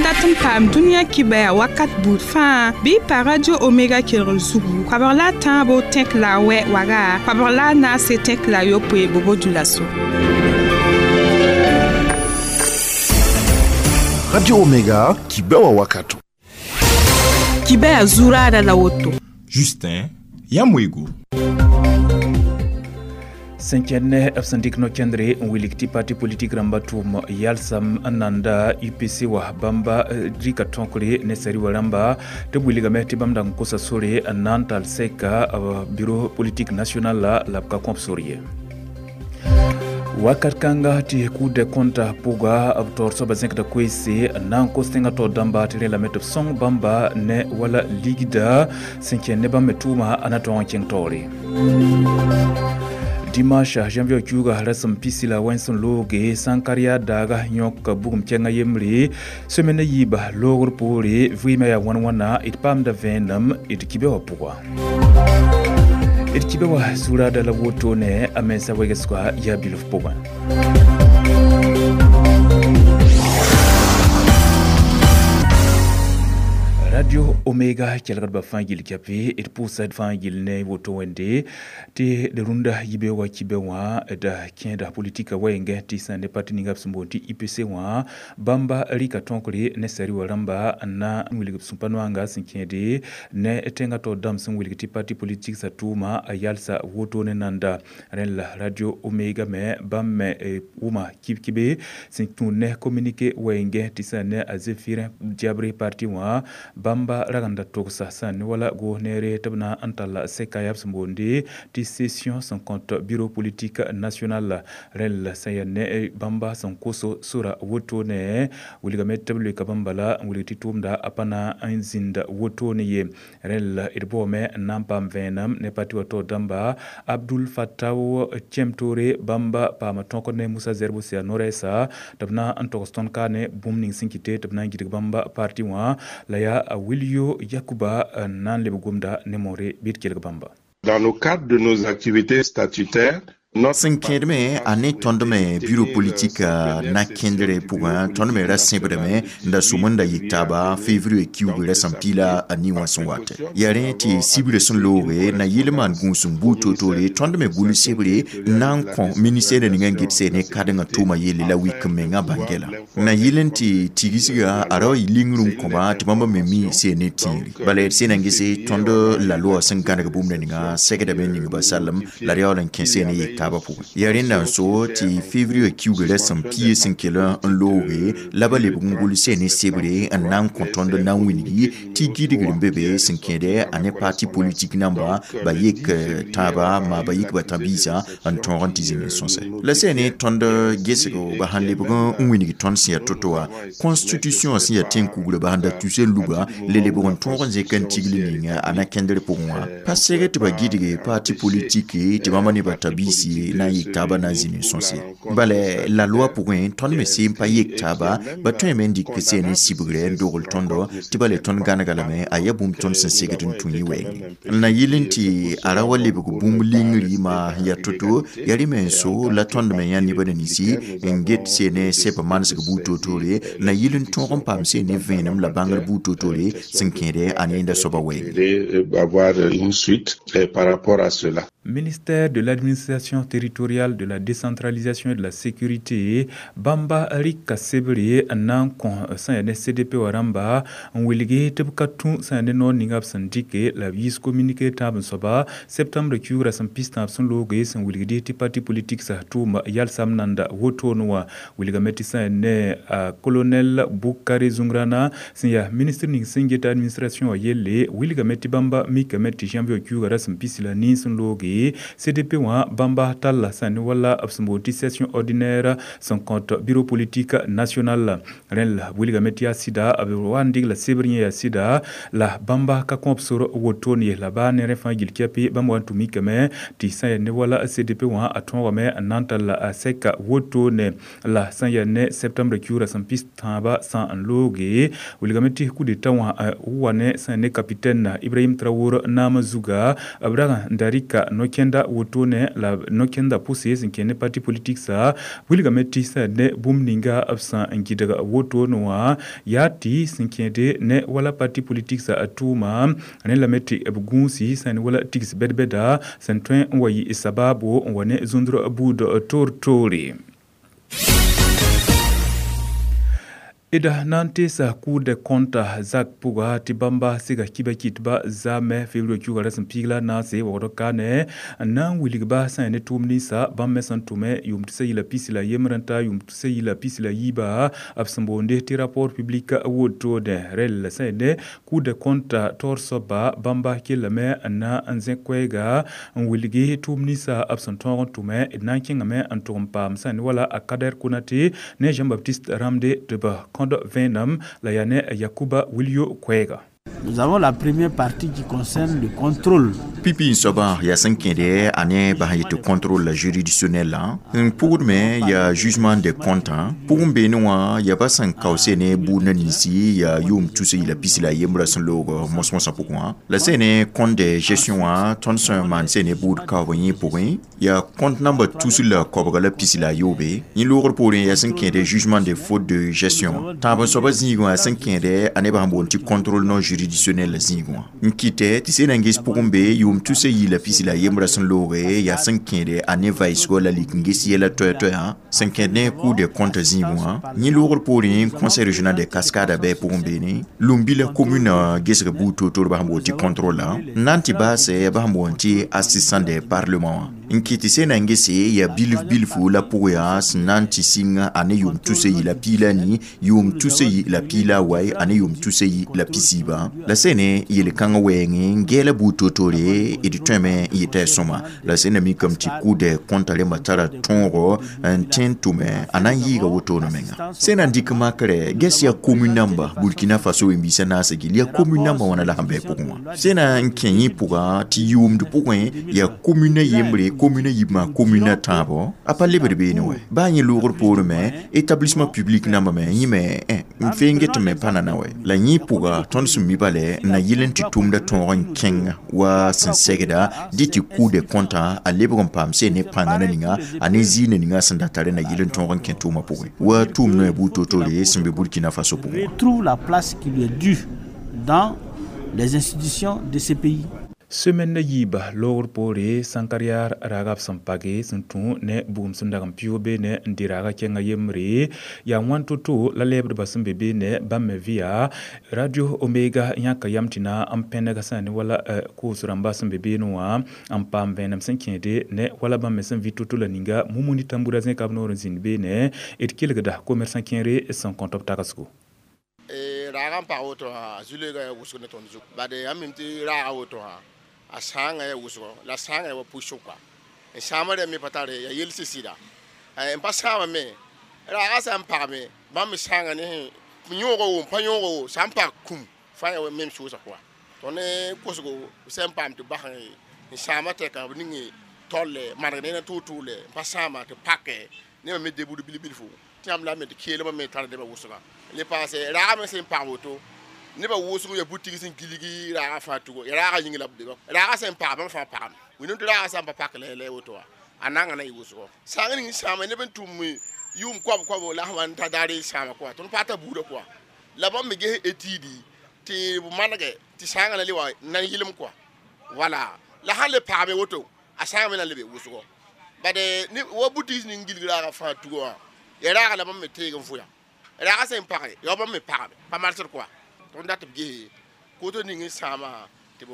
dat n paam dũniyã kibɛa wakat buud fãa bɩ y pa Radio Omega kelgr zugu koabg la a tãabo tẽk la a wɛ waga koabg la a naase tẽk la a yopoe bobo dulaso. Radio Omega, kibɛa wakato. Kibɛa zuraada la woto. Justin Yamwego. Sẽn kẽnd ne b sẽn dɩk no-kẽndre n wilg tɩ parti politik rãmba tʋʋm yalsam n nanda UPC wa bãmba rɩka tõkre ne sari wa rãmba tɩ b wilgame tɩ bãmb dag n kosa sore n na n tall sɛka bureau politique national la b ka kõb sor ye. Wakat kãnga tɩ Cour des comptes pʋga b taoor soabã zẽkda koeese n na n kos tẽngã taoor dãmba tɩ rẽ lame tɩ b sõng bãmba ne wala ligda sẽn kẽnd ne bãmb me tʋʋma a na tõog n kẽng taoore. Dimanche janvier kiuga rasem pisi la wẽns n looge sãn-karya daaga yõk bugum kɛngã yembre semaine yiiba loogr poore vɩɩmã yaa wãn wãna d paamda vẽenem d kibe wã pʋga. D kibe wã zuraada la wotone a mensa wegsga yaa bilf pʋgẽ. Radio Omega kelgdba fãa gill kɛpe d pʋʋsa fãa gill ne woto wẽnde tɩ d rũndã yibe wa kibe wã d kẽeda politika wɛɛngẽ tɩ sã ne parti ninga b sẽn boond tɩ IPC wã bãmba rɩka tõkre ne sari wa rãmba n na n wilg b sũ-pa-noanga sẽn kẽede ne tẽngã taoor dãmb sẽn wilg tɩ parti politik sa tʋʋma a yalsa woto ne nanda rẽnd la Radio Omega me bãmb me wʋma kib-kibe sẽn tũud ne communiqué wɛɛngẽ tɩ sã ne a Zéphirin Diabré parti wã bãmba ragenda togsa sã ne wala goos neere tɩ b na n talla sɛka yaa b sẽn boonde tɩ session sẽn kõt bureau politique national rẽnd la sẽn yaa ne bãmba sẽn koso sora wotone wilgame tɩ b loeka bãmba la n wilg tɩ tʋʋmda a pa na n zĩnda wotone ye rẽnd la d baoome n na n paam vẽenem ne parti wã taoor dãmba Abdul Fattaw Tiemtoré bãmba paama tõkr ne Moussa Zerbo sẽn yaa no-rɛɛsa tɩ b na n togs tõnd ka ne bũmb ning sẽn kɩte tɩ b na n gidg bãmba parti wã la yaa Wilio Yakuba n na n leb gomda ne moore bɩ d kelg bãmba. Dans le cadre de nos activités statutaires, sẽn kẽedme a ne tõnd me bureau politique na kẽndre pʋgã tõnd me ra sẽbdame n da sʋm n da yik taaba février kiuug rasem pila a ni wã sẽn wate yaa rẽ tɩ sibrã sẽn looge na yɩl maan gũus n buud toor-toore tõnd me gʋls sebre n na n kõ ministɛɛrã ninga n get sɛ ne kadengã tʋʋma yelle la wik n mengã bãngɛla na yɩl n tɩ tigsga a ra wa yɩ lingr n kõba tɩ bãmba me mi sɛ ne tĩiri bala d sẽn na n gese tõnd la loa sẽn gãneg bũmb ninga sɛgdame ning ba salem la d yaool n kẽ sɛ ne yik taaba pʋgẽ yaa rẽnda n so tɩ février kiuug rasem pie sẽn kell n looge la ba lebg n gʋls ne sebre n na n kõ tõnd na n wilgi tɩ gidgr n be be sẽn kẽede a ne parti politik namba ba yek tãaba maa ba yik ba tã-biisã n tõog n tɩ zĩnd n sõsɛ la sɛ ne tõnd gesgo ba sãn lebg n wilg tõnd sẽn yaa to-to wã constitution sẽn yaa tẽn-kugrã ba sãn da tus n luga le lebg n tõog n zẽk n tigl ning a na kẽndr pʋgẽ wã pa seg tɩ ba gidge parti politique tɩ bãmba ne ba tã-biis na n yik taaba na n zĩnd n sõse bala la loi pʋgẽ tõnd me seen pa yek taaba ba tõeme n dɩk seen n sibgre n dogl tõndo tɩ bala tõnd gãnega lame a yaa bũmb tõnd sẽn segd n tũ yẽ wɛɛngẽ n na yɩl n tɩ a ra wa lebg bũmb lingri maa sẽn yaa to-to yaa rẽ me n so la tõnd me yã nebã ninsi n get seen ne sɛb manesg buud toor-toore na yɩl n tõog n paam seen ne vẽenem la bãngr buud toor-toore sẽn kẽede a ne yẽnda soabã wɛɛngẽ. Avoir une suite par rapport à cela. Ministère de l'administration territoriale, de la décentralisation et de la sécurité, bãmba rɩka sebre n na n kõ sẽn yaa ne CDP wã rãmba n wilgi tɩ b ka tũ sẽn yaa ne noor ninga b sẽn dɩke la b yiis communiqué tãab n soaba septembre kiuug rasem pis-tãab sẽn looge sẽn wilgdi tɩ parti politique sa tʋʋm yalsam nanda wotone wã wilgame tɩ sẽn yaa ne colonel Bukare Zungrana sẽn yaa ministre ning sẽn get administration wã yelle wilgame tɩ bãmba mikame tɩ janvier kiuugã rasem pis la nin sẽn looge CDP wã bãmba talla sẽn ne wala b sẽn boond tɩ session ordinaire sẽn kõt bureau politique national rẽnd la wilgame tɩ yaa sɩda b wa n dɩg la sebr yẽ yaa sɩda la bãmba ka kõb sor wotone ye la baa ne rẽ fãa gill kɛpɩ bãmb wa n tũ mikame tɩ sẽn yaa ne wala CDP wã a tõogame n na n tall a sɛka wotone la sẽn yaa ne septembre kiuug rasem pis-tãabã sã n looge wilgame tɩ coup d'état wã wa ne sẽn ne capitaine Ibrahim Traoré naamã zuga b rag n da rɩka no no-kẽnda wotone la no-kẽnda pʋse sẽn kẽ ne parti politik sa wilgame tɩ sã ne bũmb ninga b sã n gɩdg wotone wã yaa tɩ sẽn kẽede ne wala parti politik sa tʋʋma ne lame tɩ b gũusi sã ne wala tigs bɛd-bɛda sẽn tõe n wa yɩ sabaabo n wa ne zũndr buud toor-toore. Ida nan tesa Cour des comptes zak pʋga tɩ bãmba sɩga kiba kɩtba zaamɛ février kiuga ra sẽn piig la naase waoodg kaane n na n wilgba sã n ne tʋʋm ninsã bãmb me sẽn tʋme yʋʋm tʋsa yila pisi la yembr n ta yʋʋm tʋsa yila pisi la yiiba b sẽn boonde tɩ rapport public wotode rel sã n ne Cour des comptes taoor soaba bãmba kellame n na n zẽ koɛɛga n wilgi tʋʋm ninsã b sẽn tõog n tʋme d na n kẽngame n tʋg n paam sã n ne wala a Kader Konate ne Jean-Baptiste Ramde tɩ b la yane Yakuba Wilio Kwega. Nous avons la première partie qui concerne le contrôle. Pipi soba ya sẽn kẽede a ne bas yetɩ contrôle juridictionnel n pʋgd me ya jugement des comptes pʋgẽ beene wã ya ba sẽn kaoose ne buudna ninsi ya yʋʋm tus yila pisi la yembrã sẽn loog mos-mosã pʋgẽ wã la sẽn ne compte de gestion wã tõnd sẽn maan sẽn ne buud kaoog yẽ pʋgẽ ya compte namba tus la koabga la pisi la yoobe yẽ loogr poorẽ ya sẽn kẽede jugement des fautes de gestion tãab n soaba zĩigẽ wã sẽn kẽede a nebã sẽn boond tɩ contrôle non juridictionnel zĩigẽ wã n kɩtɛ tɩ sẽn na n ges pʋgẽ be yʋʋm tʋsa yila pisi la yembrã sẽn looge yaa sẽn kẽede a ne vaɩsgɔ la lik n ges yɛla toɛ-toɛã sẽn kẽed ne Cour des comptes zĩigẽ wã yẽ loogr poorẽ conseil régional des cascades bɩ pʋgẽ beene Lumbi la commune gesg buud toor-toor bas n boond tɩ contrôle n na n tɩ baasɛ bas n boond tɩ assistant des parlement wã n kɩt tɩ sẽn na n gese yaa bilf bilfu la pʋg yaa sẽn na n tɩ sɩng a ne yʋʋm tʋsa yila piig la ni yʋʋm tʋsa yi la piig la a wae a ne yʋʋm tʋsa yi la pisiibã la sẽn ne yel-kãng wɛɛngẽ n gɛɛla buud toor-toore d tõeme n yeta sõma la sẽn na mikame tɩ Cour des comptes rẽmbã tara tõogo n tẽ n tʋme a na n yɩɩga wotone menga sẽn na n dɩk makrɛ ges yaa commune namba Burkina Faso wẽn-biisã naasã gill yaa commune namba wãna la sẽn bɩ pʋgẽ wã sẽn na n kẽ yẽ pʋga tɩ yʋʋmd pʋgẽ yaa commune yembre commune yibmã commune tãabo a pa lebd beene wɛ baa yẽ loogr poorẽ me établissement public namba me yẽ me n fee n get me pa nana wɛ la yẽ pʋga tõnd sẽn mi bale n na yɩl n tɩ tʋmda tõog n kẽng wa sẽn segda dɩ tɩ Cour des comptes a lebg n paam sẽn ne pãnga na ninga a ne zĩig na ninga sẽn da tare na yɩl n tõog n kẽ tʋʋmã pʋgẽ wa tʋʋm noɛ buud toor-toore sẽn be Burkina Faso pʋgẽ. Retrouve la place qui lui est due dans les institutions de ce pays. Semaine na yiiba loogr poore sãnkar-yaar raaga b sẽn page sẽn tũ ne bugum sẽn dag n pɩʋʋg beene n dɩ raaga kẽngã yembre yaa wãn to-to la lɛɛbdbã sẽn be beene bãmb me vɩya Radio Omega yãka yam tɩ na n pẽneg sã ne wala koos rãmba sẽn be beene wã n paam vẽenem sẽn kẽede ne wala bãmb me sẽn vɩ to-to la ninga Mumuni Tambura zẽka b noor n zĩnd beene d kelgda commerçant kẽere sẽn kõt b tagsgo. Raaga n pag woto wã zu-loeega yaa wʋsg ne tõnd zug bad yãmb mim tɩ raaga woto wã a sãangã yaa wʋsgo la sãangã yaa wa pʋɩsg kɔa n sãama rẽ me pa tare yaa yel sɩsɩda n pa sãama me raaga sã n pagme bãmb me sãangã ne yõogo wo n pa yõogo wo sã n pag kũm fãa yaa mem sʋʋsa kɔa tõnd ne kosgo sã n paam tɩ bas n sãama tɛka b ning tolle maneg ne na tʋʋ-tʋʋle n pa sãama tɩ pake nebã me debud bil-bilfu tɩ yãmb la me tɩ keelmã me tar nebã wʋsga le paase raaga me sẽn pag woto nebã wʋsg ya butig sẽn gilgi raaga fãa tugo ya raaga yĩng la b be raaga sẽn pag bãmb fãa pagame wĩndame tɩ raaga sã n pa pak la woto wã a nanga na yɩ wʋsgo sãng ning sãama neb n tʋm yʋʋm koab-koabo la sã wa n ta daar sãama kɔa tõnd paata buudã kɔa la bãmb me ges etidi tɩ b manege tɩ sãangã na le wa nan yɩlem kɔa wala la sãn le pagame woto a sãanga me na lebe wʋsgo bad wa butig ning gilg raaga fãa tugo wã ya raaga la bãmb me teeg n fʋya raaga sẽn page ya bãmb me pagame pa marsd kɔa tõnd dat b ges koto ning n sãama tɩ b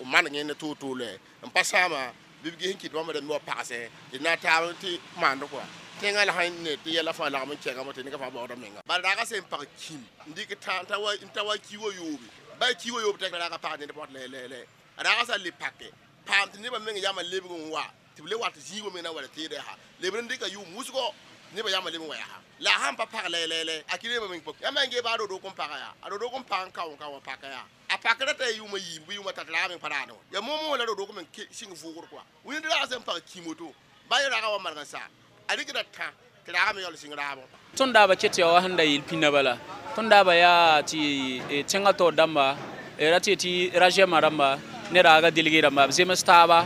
maneg ne tʋʋ-tʋʋle n pa sãama bɩ b ges n kɩt bãmb rẽmb wa pagsɛ tɩ na taab tɩ maand kɔa tẽngã la sãn ne tɩ yɛla fãa lagm n kẽngame tɩ nega fãa baoodã menga bala raaga sẽn pag kĩm n dɩk n ta wa ki wa yoobe ba ki wa yoob tɛk la raaga pag ned pɔt lɛ raaga sã le pake paam tɩ nebã meng yamã lebg n wa tɩ b le wat zĩigã meng na wa la teedã yaa lebr n dɩka yʋʋm wʋsgo nebã yamã leb n wa yaa la a sãn pa pag lɛ a kɩ nebã meng pok yãmb n gee baa rodok n paga yaa a rodok n pag n kao n ka wa paka yaa a pakra t'a yʋʋmã yiib bɩ yʋʋmã tat raaga meng pa raadẽ wã yaa moomõ la rodok meng sɩng vʋʋgr kɔa wĩnd raaga sẽn pag kĩm woto ba yẽ raaga wa maneg n saa a rɩkda tã tɩ raaga me yaool sɩng raabẽ. Tõnd daaba ket tɩ ya wa sẽn da yeel pĩnda bala tõnd daaba yaa tɩ tẽngã taoor dãmba ra tɩ tɩ rajɛmã rãmba ne raaga delge rãmba b zems taaba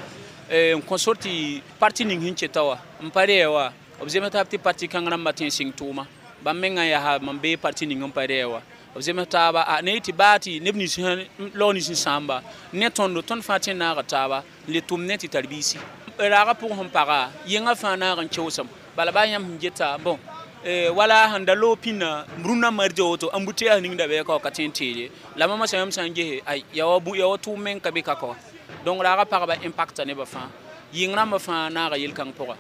N kõ sor tɩ parti ning sẽn keta wa n pa rɛɛ wa b zems taab tɩ parti kãng rãmbã tẽ n sɩng tʋʋma bãmb mengã yaa mam bee parti ning n pa rɛɛ wa b zems taaba a ne tɩ baa tɩ neb nins lao nins n sãamba ne tõndo tõnd fãa tẽ n naaga taaba n le tʋm ne tɩ tar biisi raagã pʋgẽ sẽn paga yẽngã fãa naag n keoosem bala baa yãmb sẽn geta bon wala sẽn da loog pĩnã rũnnã mardi woto embouteillage ning da bɩ ka ka tõe n teede la mama sã yãmb sã n gese ay ya wa tʋʋm meng ka be ka ka donc raagã pagba impacta nebã fãa yɩng rãmbã fãa naaga yel-kãng pʋga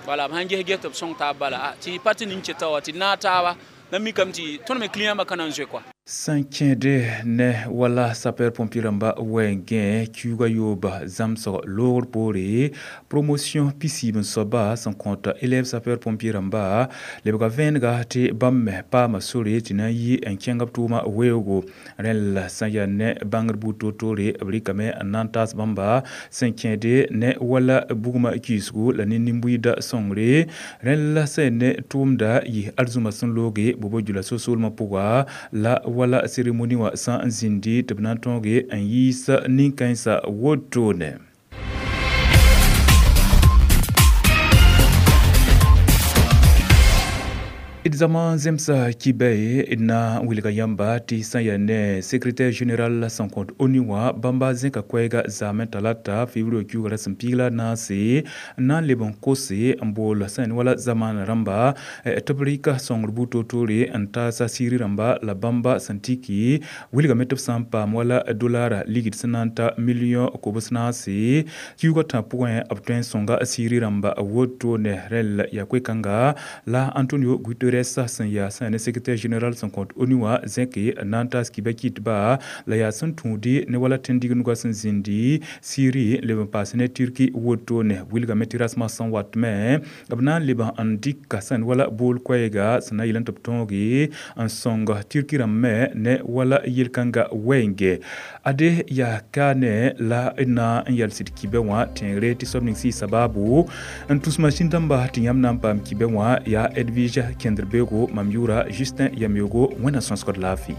wala b sãn ges ges tɩ b sõng taab bala tɩ parti ning keta wa tɩ naag taaba la mikame tɩ tõnd me client bã ka na n zoe kɔa Sẽn kẽede ne wala sapeur pompier rãmba wɛɛngẽ kiuugã yooba zãmsg loogr poore promotion pisiib n soaba sẽn kõt élève sapeur pompier rãmba lebga vẽenega tɩ bãmb me paama sore tɩ na n yi n kẽng b tʋʋma weoogo. Rẽn la sã n yaa ne bãngr buud toor-toore b rɩkame n na n taas bãmba sẽn kẽede ne wala bugmã kiisgu la ne nin-buiida sõngre. Rẽn la sã n ne tʋʋmda yɩ arzũma sẽn looge bobo-djula so-soolmã pʋga la wala cérémonie wã sã n zĩndi tɩ b na n tõoge n yiis nin-kãensã wotone. D zama zemsa kibɛ d na n wilga yãmba tɩ sã n yaa ne secrétaire général sẽn kõt ONU wã bãmba zẽka koɛɛga zaamẽ talata février kiuugã ra sẽn piig la a naase n na n leb n kose n bool sã n wala zamaan rãmba tɩ b rɩka sõngr buud toor-toore n taasa siiri rãmba la bãmba sẽn tiki wilgame tɩ b sã n paam wala dolara ligd sẽn na n ta million kobs naase kiuugã tã pʋgẽ b tõe n sõnga siiri rãmba wotone. Rẽl yaa koe-kãnga la Antonio Guterres sẽn yaa sã ne secrétaire général sẽn kõt ONU wã zẽke n na n taas kiba kɩtba la yaa sẽn tũudi ne wala tẽn-dig-nugã sẽn zĩndi Syrie leb n paas ne Turki wotone. Wilgame tɩ rasmã sẽn watme b na n leb n dɩka sẽn wala bool koɛɛga sẽn na n yel tɩ b tõoge n sõng Turki rãmb me ne wala yel-kãnga wɛɛnge. Ade yaa kaane la d na n yals d kibɛ wã tẽegre tɩ soab ning sɩɩ sababu n tus masĩn dãmba tɩ yãmb na n paam kibɛ wã yaa Edwige kẽndr beoogo mam yʋʋra Justin Yameogo wẽnna sõsgd laafɩ.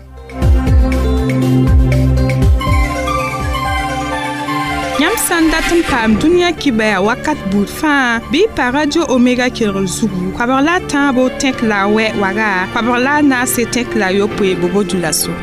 Yãmb sã n dat n paam dũniyã kibɛa wakat buud fãa bɩ y pa Radio Omega kelgr zugu koabg la a tãabo tẽk la a wɛ waga koabg la a naase tẽk la a yopoe bobo-dulaso.